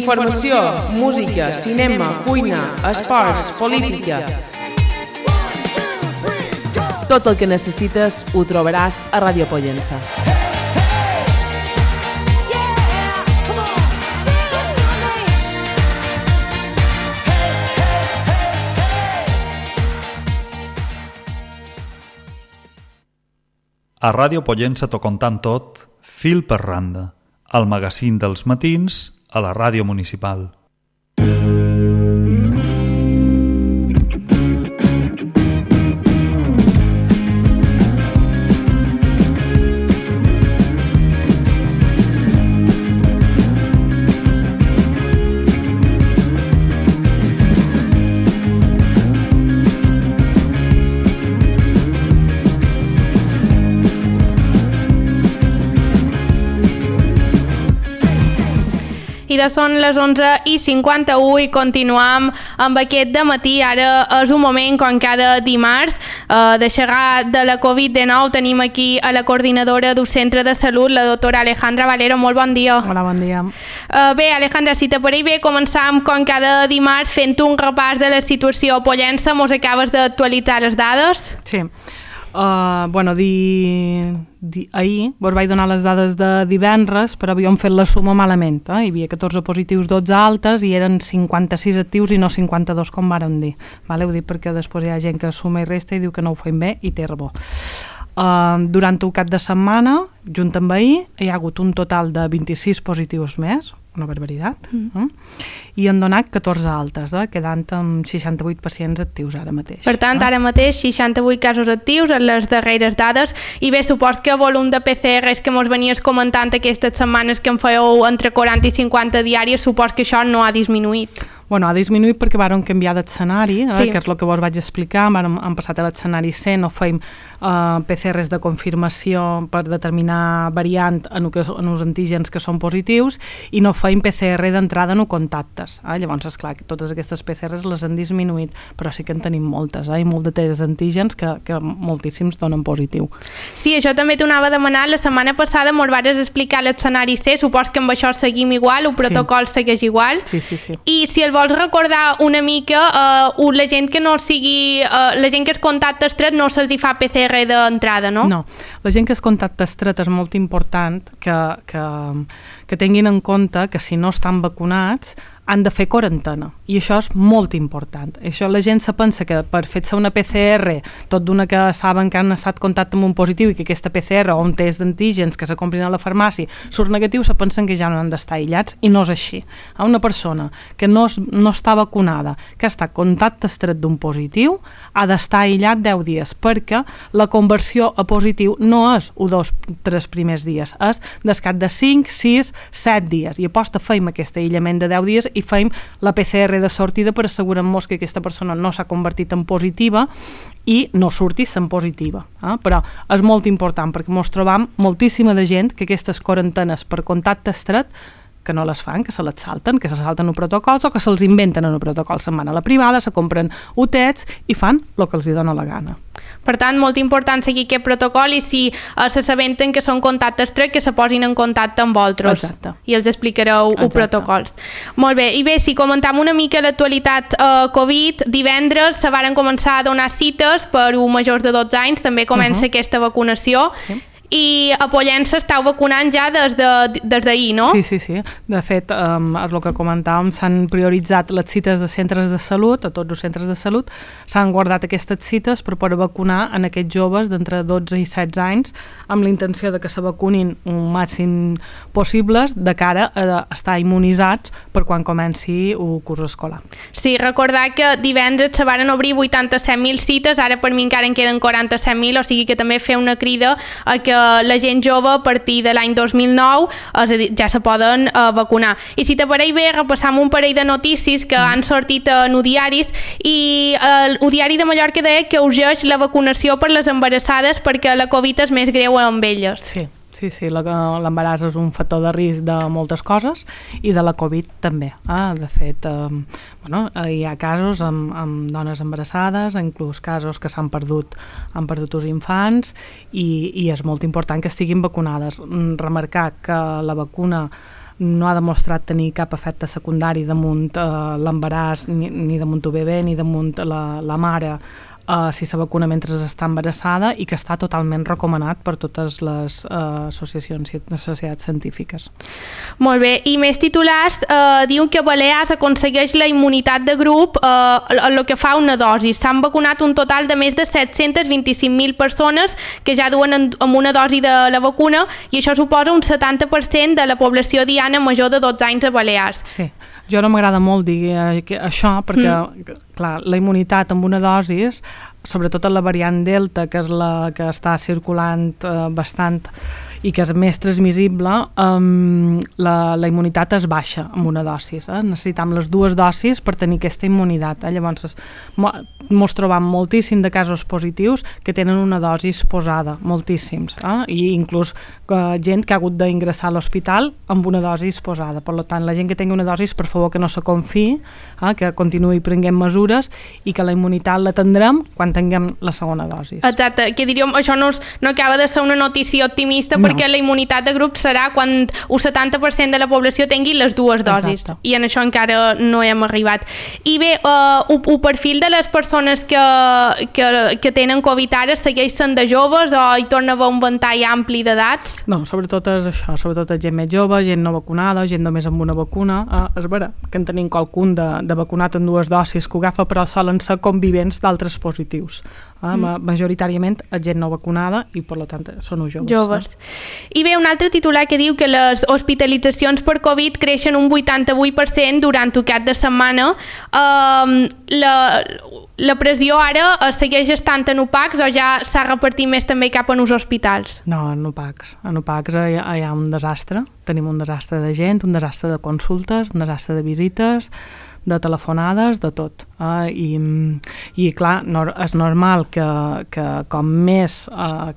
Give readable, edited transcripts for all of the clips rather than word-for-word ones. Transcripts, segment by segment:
Informació, música, cinema, cuina, esports, política. Tot el que necessites ho trobaràs a Ràdio Pollença. A Ràdio Pollença t'ho contam tot, fil per randa, al magazín dels matins a la ràdio municipal. I de són les 11:51 i continuam amb aquest dematí. Ara és un moment, com cada dimarts, de xerrar de la Covid-19. Tenim aquí a la coordinadora d'un centre de salut, la doctora Alejandra Valero. Molt bon dia. Hola, bon dia. Bé, Alejandra, si t'apareix bé, començam com cada dimarts fent un repàs de la situació a Pollença. Mos acabes d'actualitzar les dades? Sí. Ahir vos vaig donar les dades de divendres, però havíem fet la suma malament. Hi havia 14 positius, 12 altes i eren 56 actius i no 52, com vàrem dir. Ho dic perquè després hi ha gent que suma i resta i diu que no ho fem bé i té raó. Durant el cap de setmana, junt amb ahir, hi ha hagut un total de 26 positius més, una barbaritat, i han donat 14 altes, quedant amb 68 pacients actius ara mateix. Per tant, ara mateix 68 casos actius en les darreres dades, i bé, supos que el volum de PCRs que mos venies comentant aquestes setmanes que en fèieu entre 40 i 50 diàries, supos que això no ha disminuït. Ha disminuït perquè vàrem canviar d'escenari, que és el que vos vaig explicar. Hem passat a l'escenari C, no feim PCRs de confirmació per determinar variant en els antígens que són positius i no feim PCR d'entrada en contactes. Llavors, esclar, totes aquestes PCRs les han disminuït, però sí que en tenim moltes, i molt de tests d'antígens que moltíssims donen positiu. Sí, això també t'ho anava a demanar. La setmana passada mos vas explicar l'escenari C, supos que amb això seguim igual, el protocol segueix igual. Sí. I si el vols recordar una mica, la gent que no sigui, la gent que es contacta estret no se'ls fa PCR d'entrada, no? No, la gent que es contacta estret és molt important que tinguin en compte que si no estan vacunats han de fer quarantena, i això és molt important. Això la gent se pensa que per fer-se una PCR, tot d'una que saben que han estat en contacte amb un positiu i que aquesta PCR o un test d'antígens que se comprin a la farmàcia surt negatiu, se pensen que ja no han d'estar aïllats, i no és així. Una persona que no està vacunada, que està en contacte estret d'un positiu, ha d'estar aïllat 10 dies, perquè la conversió a positiu no és 1, 2, 3 primers dies, és descat de 5, 6, 7 dies, i aposta feim aquest aïllament de 10 dies i feim la PCR de sortida per assegurar-nos que aquesta persona no s'ha convertit en positiva i no surti sent positiva. Però és molt important perquè ens trobam moltíssima de gent que aquestes quarantenes per contacte estret que no les fan, que se les salten, que se salten els protocols o que se'ls inventen en un protocol. Se'n van a la privada, se compren UTEs i fan el que els dona la gana. Per tant, molt important seguir aquest protocol, i si s'assabenten que són contactes estret, que se posin en contacte amb vosaltres. Exacte. I els explicareu els protocols. Molt bé, i bé, si comentam una mica l'actualitat Covid, divendres se varen començar a donar cites per a majors de 12 anys, també comença aquesta vacunació. Sí. I a Pollença esteu vacunant ja des d'ahir, no? Sí. De fet, és el que comentàvem, s'han prioritzat les cites de centres de salut, a tots els centres de salut, s'han guardat aquestes cites per poder vacunar en aquests joves d'entre 12 i 16 anys, amb la intenció de que se vacunin un màxim possibles de cara a estar immunitzats per quan comenci el curs escolar. Sí, recordar que divendres se varen obrir 87.000 cites, ara per mi encara en queden 47.000, o sigui que també fer una crida a que la gent jove a partir de l'any 2009 ja se poden vacunar. I si t'apareix bé, repassam un parell de notícies que han sortit en diaris, i el diari de Mallorca deia que urgeix la vacunació per les embarassades perquè la Covid és més greu amb elles. Sí, l'embaràs és un factor de risc de moltes coses i de la Covid també. De fet, hi ha casos amb dones embarassades, inclús casos que han perdut els infants, i és molt important que estiguin vacunades. Remarcar que la vacuna no ha demostrat tenir cap efecte secundari damunt l'embaràs, ni damunt el bebè, ni damunt la mare, si se vacuna mentre està embarassada, i que està totalment recomanat per totes les societats científiques. Molt bé, i més titulars diuen que Balears aconsegueix la immunitat de grup el que fa una dosi. S'han vacunat un total de més de 725.000 persones que ja duen amb una dosi de la vacuna, i això suposa un 70% de la població diana major de 12 anys a Balears. Sí, jo no m'agrada molt dir això perquè, clar, la immunitat amb una dosi, sobretot en la variant Delta, que és la que està circulant bastant i que és més transmissible, la immunitat es baixa amb una dosi. Necessitam les 2 dosis per tenir aquesta immunitat. Llavors, mos trobam moltíssim de casos positius que tenen una dosi posada, moltíssims, i inclús gent que ha hagut d'ingressar a l'hospital amb una dosi posada. Per tant, la gent que tingui una dosi, per favor, que no se confiï, que continuï prenent mesures i que la immunitat la tindrem quan tinguem la segona dosi. Exacte, que diríem, això no acaba de ser una notícia optimista, perquè la immunitat de grup serà quan un 70% de la població tingui les 2 dosis. Exacte. I en això encara no hem arribat. I bé, el perfil de les persones que tenen Covid ara segueix sent de joves o hi torna a haver un ventall ampli d'edats? No, sobretot és això, sobretot és gent més jove, gent no vacunada, gent només amb una vacuna. És vera que en tenim qualcun de vacunat amb 2 dosis que ho agafa, però solen ser convivents d'altres positius. Majoritàriament és gent no vacunada i per tant són joves. I bé, un altre titular que diu que les hospitalitzacions per Covid creixen un 88% durant el cap de setmana. La pressió ara segueix estant en UPACs o ja s'ha repartit més també cap en els hospitals? No, en UPACs. En UPACs hi ha un desastre. Tenim un desastre de gent, un desastre de consultes, un desastre de visites, de telefonades, de tot. I clar, és normal que com més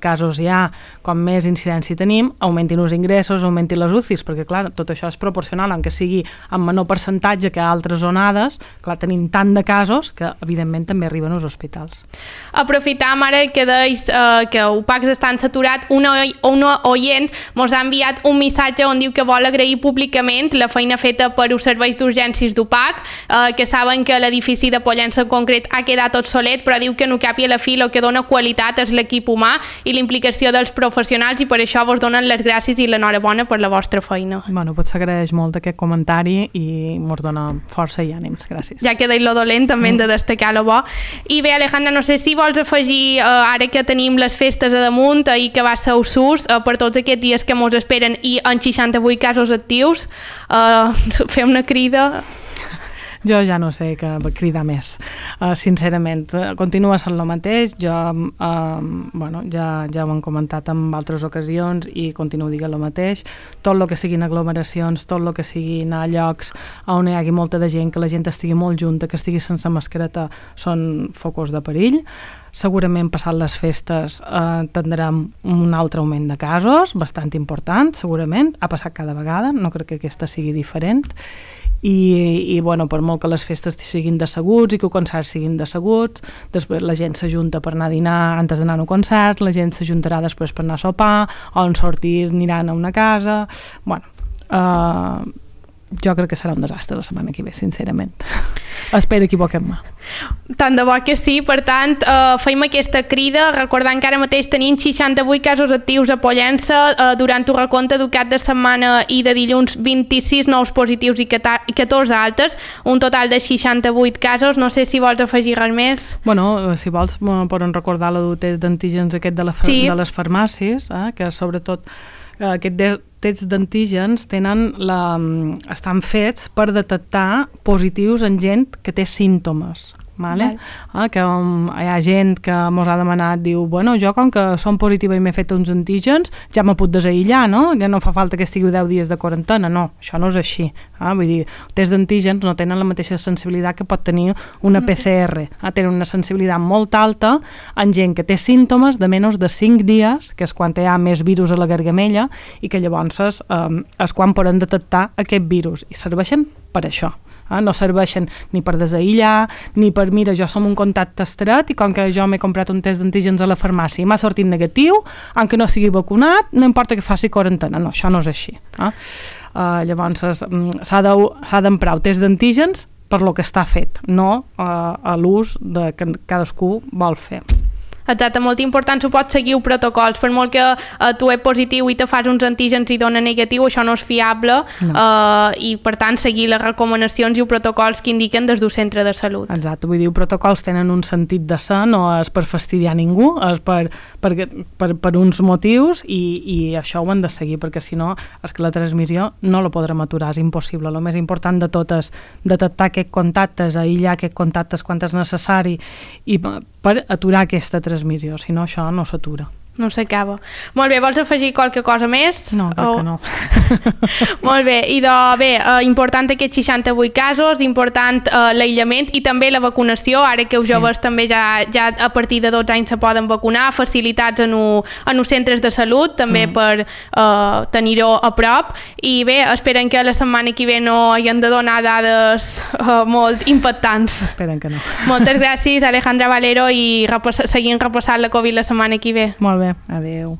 casos hi ha, com més incidència tenim, augmentin els ingressos, augmentin les UCIs, perquè clar, tot això és proporcional, encara sigui en menor percentatge que altres onades, clar, tenim tant de casos que evidentment també arriben als hospitals. Aprofitam ara que deis que UPACs estan saturat, una oient mos ha enviat un missatge on diu que vol agrair públicament la feina feta per els serveis d'urgències d'UPAC, que saben que l'edifici de Pollença en concret ha quedat obsolet, però diu que no cap i a la fi el que dona qualitat és l'equip humà i la implicació dels professionals, i per això vos donen les gràcies i l'enhorabona per la vostra feina. Bueno, pues s'agraeix molt aquest comentari i mos dona força i ànims, gràcies. Ja que deia lo dolent, també hem de destacar lo bo. I bé, Alejandra, no sé si vols afegir, ara que tenim les festes a damunt i que va ser USUS, per tots aquests dies que mos esperen i en 68 casos actius, fer una crida... Jo ja no sé què cridar més, sincerament. Continua sent el mateix, ja ho hem comentat en altres ocasions i continuo dient el mateix. Tot el que siguin aglomeracions, tot el que siguin a llocs on hi hagi molta de gent, que la gent estigui molt junta, que estigui sense mascareta, són focus de perill. Segurament passat les festes tindrem un altre augment de casos, bastant important, segurament. Ha passat cada vegada, no crec que aquesta sigui diferent. I bueno, per molt que les festes siguin d'asseguts i que els concerts siguin d'asseguts, després la gent s'ajunta per anar a dinar antes d'anar a un concert, la gent s'ajuntarà després per anar a sopar, o en sortir aniran a una casa... Bueno, jo crec que serà un desastre la setmana que ve, sincerament. Espero equivoquem-me. Tant de bo que sí, per tant, feim aquesta crida, recordant que ara mateix tenim 68 casos actius a Pollença, durant el recompte del cap de setmana i de dilluns 26 nous positius i 14 altes, un total de 68 casos. No sé si vols afegir res més. Bueno, si vols poden recordar el test d'antígens aquest de les farmàcies, que sobretot aquest tests d'antígens estan fets per detectar positius en gent que té símptomes. Vale? Que hi ha gent que mos ha demanat, diu, bueno, jo com que som positiva i m'he fet uns antígens ja me puc desaïllar, no? Ja no fa falta que estigueu 10 dies de quarantena. No, això no és així. Vull dir, tests d'antígens no tenen la mateixa sensibilitat que pot tenir una PCR. Tenen una sensibilitat molt alta en gent que té símptomes de menys de 5 dies, que és quan hi ha més virus a la gargamella, i que llavors és quan poden detectar aquest virus, i serveixen per això. No serveixen ni per desaïllar, ni per, mira, jo som un contacte estret i com que jo m'he comprat un test d'antígens a la farmàcia i m'ha sortit negatiu, aunque no sigui vacunat, no importa que faci quarantena. No, això no és així. Llavors s'ha d'emprar el test d'antígens per lo que està fet, no a l'ús que cadascú vol fer. Exacte, molt important, pots seguir protocols, per molt que tu ets positiu i te fas uns antígens i dona negatiu, això no és fiable, no. I per tant seguir les recomanacions i els protocols que indiquen des del centre de salut. Exacte, vull dir, els protocols tenen un sentit de ser, no és per fastidiar ningú, és per uns motius i això ho han de seguir, perquè si no és que la transmissió no la podrem aturar, és impossible. El més important de tot és detectar aquests contactes, aïllar aquests contactes quan és necessari i per aturar aquesta transmissió, si no això no s'atura. No s'acaba. Molt bé, vols afegir qualque cosa més? No, crec que no. Molt bé, i important aquests 68 casos, important l'aïllament i també la vacunació, ara que els joves també ja a partir de 12 anys se poden vacunar, facilitats en els centres de salut, també per tenir-ho a prop, i bé, esperen que la setmana que ve no hi han de donar dades molt impactants. Esperen que no. Moltes gràcies, Alejandra Valero, i seguim repassant la Covid la setmana que ve. Molt bé, adeu.